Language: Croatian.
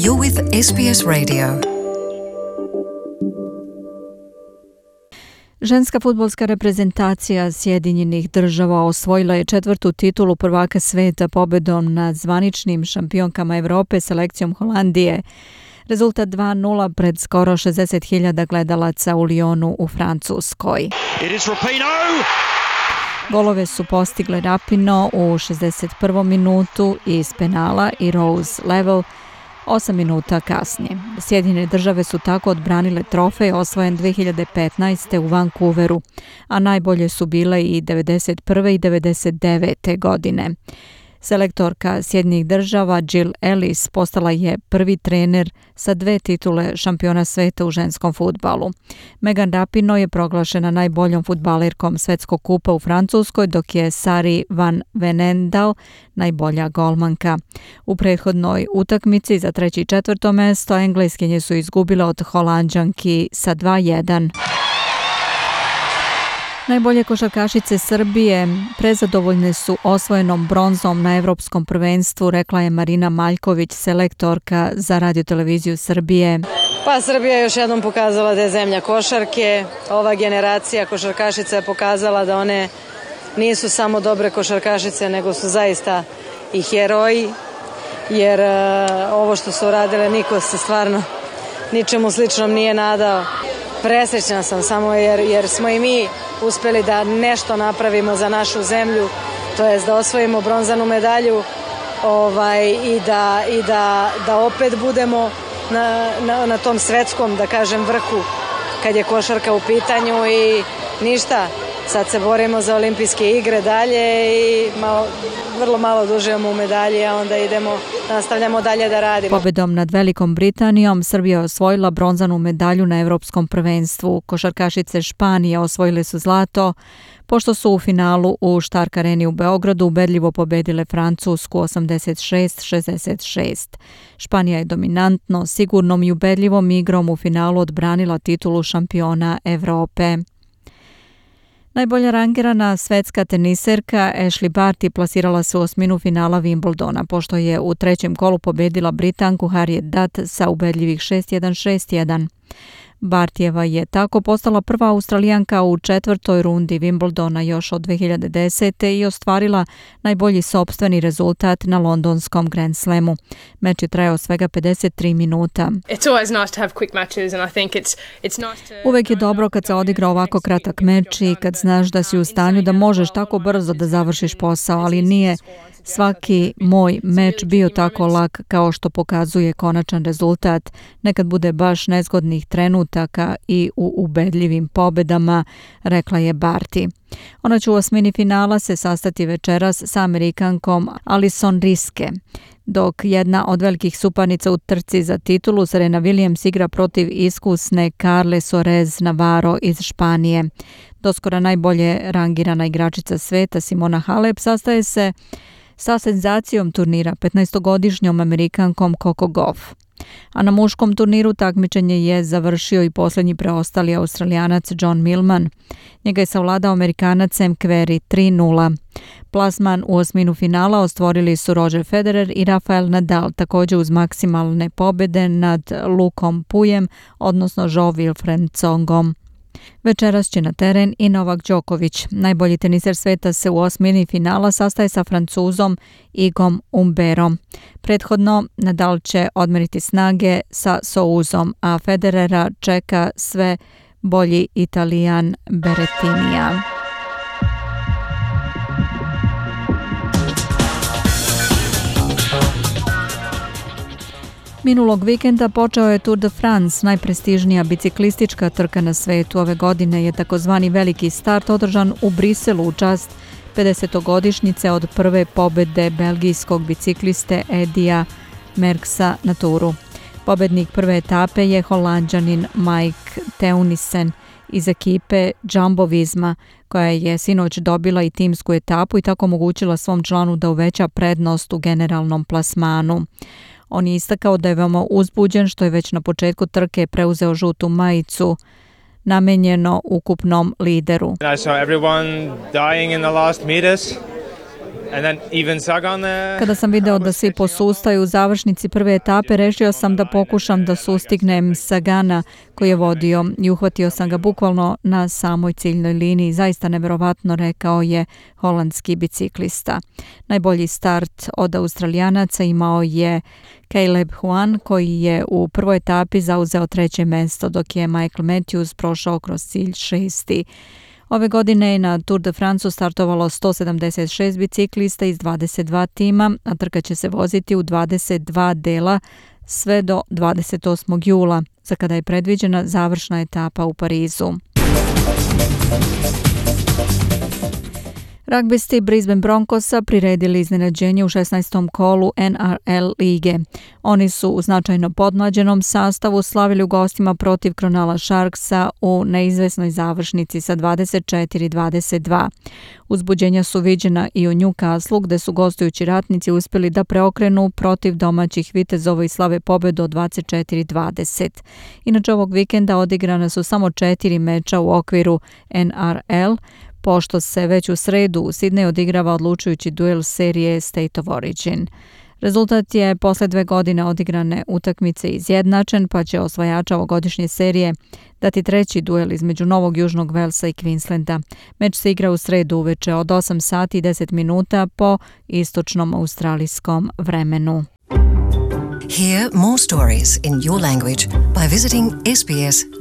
You're with SBS Radio. Ženska fudbalska reprezentacija Sjedinjenih Država osvojila je 4. titulu prvaka sveta pobedom nad zvaničnim šampionkama Evrope selekcijom Holandije. Rezultat 2:0 pred skoro 60.000 gledalaca u Lyonu u Francuskoj. Golove su postigle Rapino u 61. minutu iz penala i Rose Level 8 minuta kasnije. Sjedinjene Države su tako odbranile trofej osvojen 2015. u Vancouveru, a najbolje su bile i 91. i 99. godine. Selektorka Sjedinjenih Država Jill Ellis postala je prvi trener sa 2 titule šampiona sveta u ženskom fudbalu. Megan Rapinoe je proglašena najboljom fudbalerkom svetskog kupa u Francuskoj, dok je Sari van Venendal najbolja golmanka. U prethodnoj utakmici za 3. i 4. mesto Engleskinje su izgubile od Holanđanki sa 2:1. Najbolje košarkašice Srbije prezadovoljne su osvojenom bronzom na Evropskom prvenstvu, rekla je Marina Maljković, selektorka za Radio-televiziju Srbije. Pa Srbija je još jednom pokazala da je zemlja košarke. Ova generacija košarkašica je pokazala da one nisu samo dobre košarkašice, nego su zaista i heroji, jer ovo što su uradile niko se stvarno ničemu sličnom nije nadao. Presrećna sam samo jer smo i mi uspeli da nešto napravimo za našu zemlju, to jest da osvojimo bronzanu medalju i da opet budemo na tom svetskom, da kažem, vrhu kad je košarka u pitanju i ništa. Sad se borimo za olimpijske igre dalje i vrlo malo dužujemo u medalji, a onda nastavljamo dalje da radimo. Pobedom nad Velikom Britanijom Srbija je osvojila bronzanu medalju na Evropskom prvenstvu. Košarkašice Španije osvojile su zlato, pošto su u finalu u Stark Areni u Beogradu ubedljivo pobedile Francusku 86-66. Španija je dominantno, sigurnom i ubedljivom igrom u finalu odbranila titulu šampiona Evrope. Najbolja rangirana svetska teniserka Ashley Barty plasirala se u osminu finala Wimbledona, pošto je u 3. kolu pobedila Britanku Harriet Dutt sa ubedljivih 6:1, 6:1. Bartijeva je tako postala prva Australijanka u 4. rundi Wimbledona još od 2010. i ostvarila najbolji sopstveni rezultat na londonskom Grand Slamu. Meč je trajao svega 53 minuta. Uvek je dobro kad se odigra ovako kratak meč i kad znaš da si u stanju da možeš tako brzo da završiš posao, ali nije svaki moj meč bio tako lak kao što pokazuje konačan rezultat. Nekad bude baš nezgodnih trenutaka i u ubedljivim pobedama, rekla je Barty. Ona će u osmini finala se sastati večeras sa Amerikankom Alison Riske, dok jedna od velikih suparnica u trci za titulu Serena Williams igra protiv iskusne Carle Sorez Navarro iz Španije. Doskora najbolje rangirana igračica sveta Simona Halep sastaje se sa senzacijom turnira 15-godišnjom Amerikankom Coco Gauff. A na muškom turniru takmičenje je završio i posljednji preostali Australijanac John Millman. Njega je savladao Amerikanac Sam Querrey 3:0. Plasman u osminu finala ostvorili su Roger Federer i Rafael Nadal, također uz maksimalne pobjede nad Lukom Pujem, odnosno Jo-Wilfried Tsongom. Večeras će na teren i Novak Đoković. Najbolji teniser sveta se u osmini finala sastaje sa Francuzom Igom Humberom. Prethodno Nadal će odmeriti snage sa Souzom, a Federera čeka sve bolji Italijan Berrettinija. Minulog vikenda počeo je Tour de France, najprestižnija biciklistička trka na svetu. Ove godine je takozvani veliki start održan u Briselu u čast 50-godišnjice od prve pobede belgijskog bicikliste Edija Merckxa na Touru. Pobednik prve etape je Holanđanin Mike Teunissen iz ekipe Jumbo Visma, koja je sinoć dobila i timsku etapu i tako omogućila svom članu da uveća prednost u generalnom plasmanu. On je istakao da je veoma uzbuđen što je već na početku trke preuzeo žutu majicu namenjeno ukupnom lideru. I saw everyone dying in the last meters Kada sam video da svi posustaju u završnici prve etape, rešio sam da pokušam da sustignem Sagana koji je vodio i uhvatio sam ga bukvalno na samoj ciljnoj liniji. Zaista neverovatno, rekao je holandski biciklista. Najbolji start od Australijanaca imao je Caleb Ewan koji je u prvoj etapi zauzeo 3. mesto, dok je Michael Matthews prošao kroz cilj 6. Ove godine je na Tour de France startovalo 176 biciklista iz 22 tima, a trka će se voziti u 22 dela sve do 28. jula, za kada je predviđena završna etapa u Parizu. Ragbisti Brisbane Broncosa priredili iznenađenje u 16. kolu NRL lige. Oni su u značajno podmlađenom sastavu slavili u gostima protiv Cronulla Sharksa u neizvesnoj završnici sa 24-22. Uzbuđenja su viđena i u Newcastle, gde su gostujući ratnici uspjeli da preokrenu protiv domaćih vitezova i slave pobedu od 24-20. Inače, ovog vikenda odigrana su samo 4 meča u okviru NRL, pošto se već u sredu u Sidneju odigrava odlučujući duel serije State of Origin. Rezultat je posle 2 godine odigrane utakmice izjednačen, pa će osvajača ovogodišnje serije dati 3. duel između Novog Južnog Velsa i Queenslanda. Meč se igra u sredu uveče od 8 sati i 10 minuta po istočnom australijskom vremenu. Hear more stories in your language by visiting sbs.com.au.